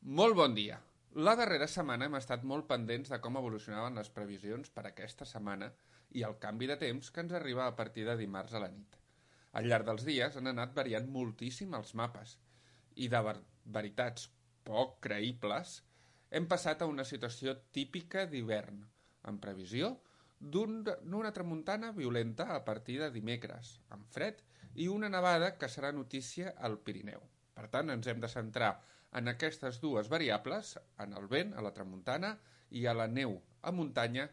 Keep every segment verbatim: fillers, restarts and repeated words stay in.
Molt bon dia. La darrera setmana hem estat molt pendents de com evolucionaven les previsions per aquesta setmana i el canvi de temps que ens arriba a partir de dimarts a la nit. Al llarg dels dies han anat variant moltíssim els mapes i de ver veritats poc creïbles hem passat a una situació típica d'hivern, en previsió d'una tramuntana violenta a partir de dimecres, amb fred i una nevada que serà notícia al Pirineu. Per tant, ens hem de centrar en aquestes dues variables, en el vent, a la tramuntana, i a la neu a muntanya,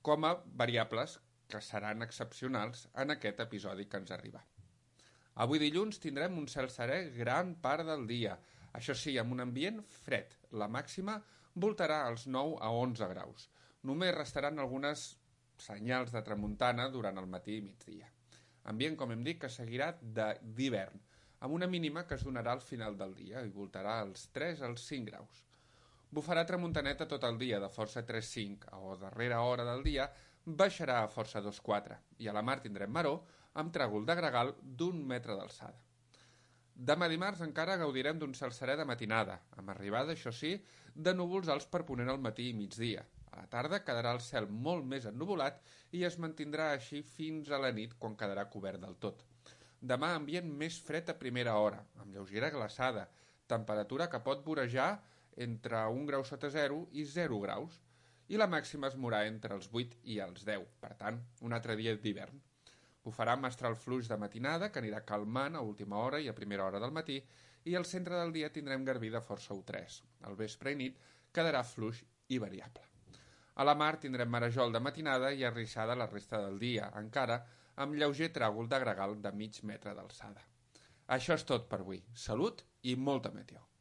com a variables que seran excepcionals en aquest episodi que ens arriba. Avui dilluns tindrem un cel serè gran part del dia, això sí, amb un ambient fred. La màxima voltarà als nou a onze graus. Només restaran algunes senyals de tramuntana durant el matí i migdia. Ambient, com hem dit, que seguirà d'hivern, amb una mínima que es donarà al final del dia i voltarà als tres als cinc graus. Bufarà tramuntaneta tot el dia de força tres cinc o darrera hora del dia baixarà a força dos quatre i a la mar tindrem maró amb tràgol de gregal d'un metre d'alçada. Demà dimarts encara gaudirem d'un cel serè de matinada, amb arribada, això sí, de núvols alts per ponent al matí i migdia. A la tarda quedarà el cel molt més ennuvolat i es mantindrà així fins a la nit quan quedarà cobert del tot. Demà ambient més fred a primera hora, amb lleugera glaçada, temperatura que pot vorejar entre un grau sota zero i zero graus, i la màxima es mourà entre els vuit i els deu, per tant, un altre dia d'hivern. Bufarà mestral fluix de matinada, que anirà calmant a última hora i a primera hora del matí, i al centre del dia tindrem garbí de força u tres. Al vespre i nit quedarà fluix i variable. A la mar tindrem marejol de matinada i arrissada la resta del dia, encara amb lleuger tràgol de gregal de mig metre d'alçada. Això és tot per avui. Salut i molta meteo.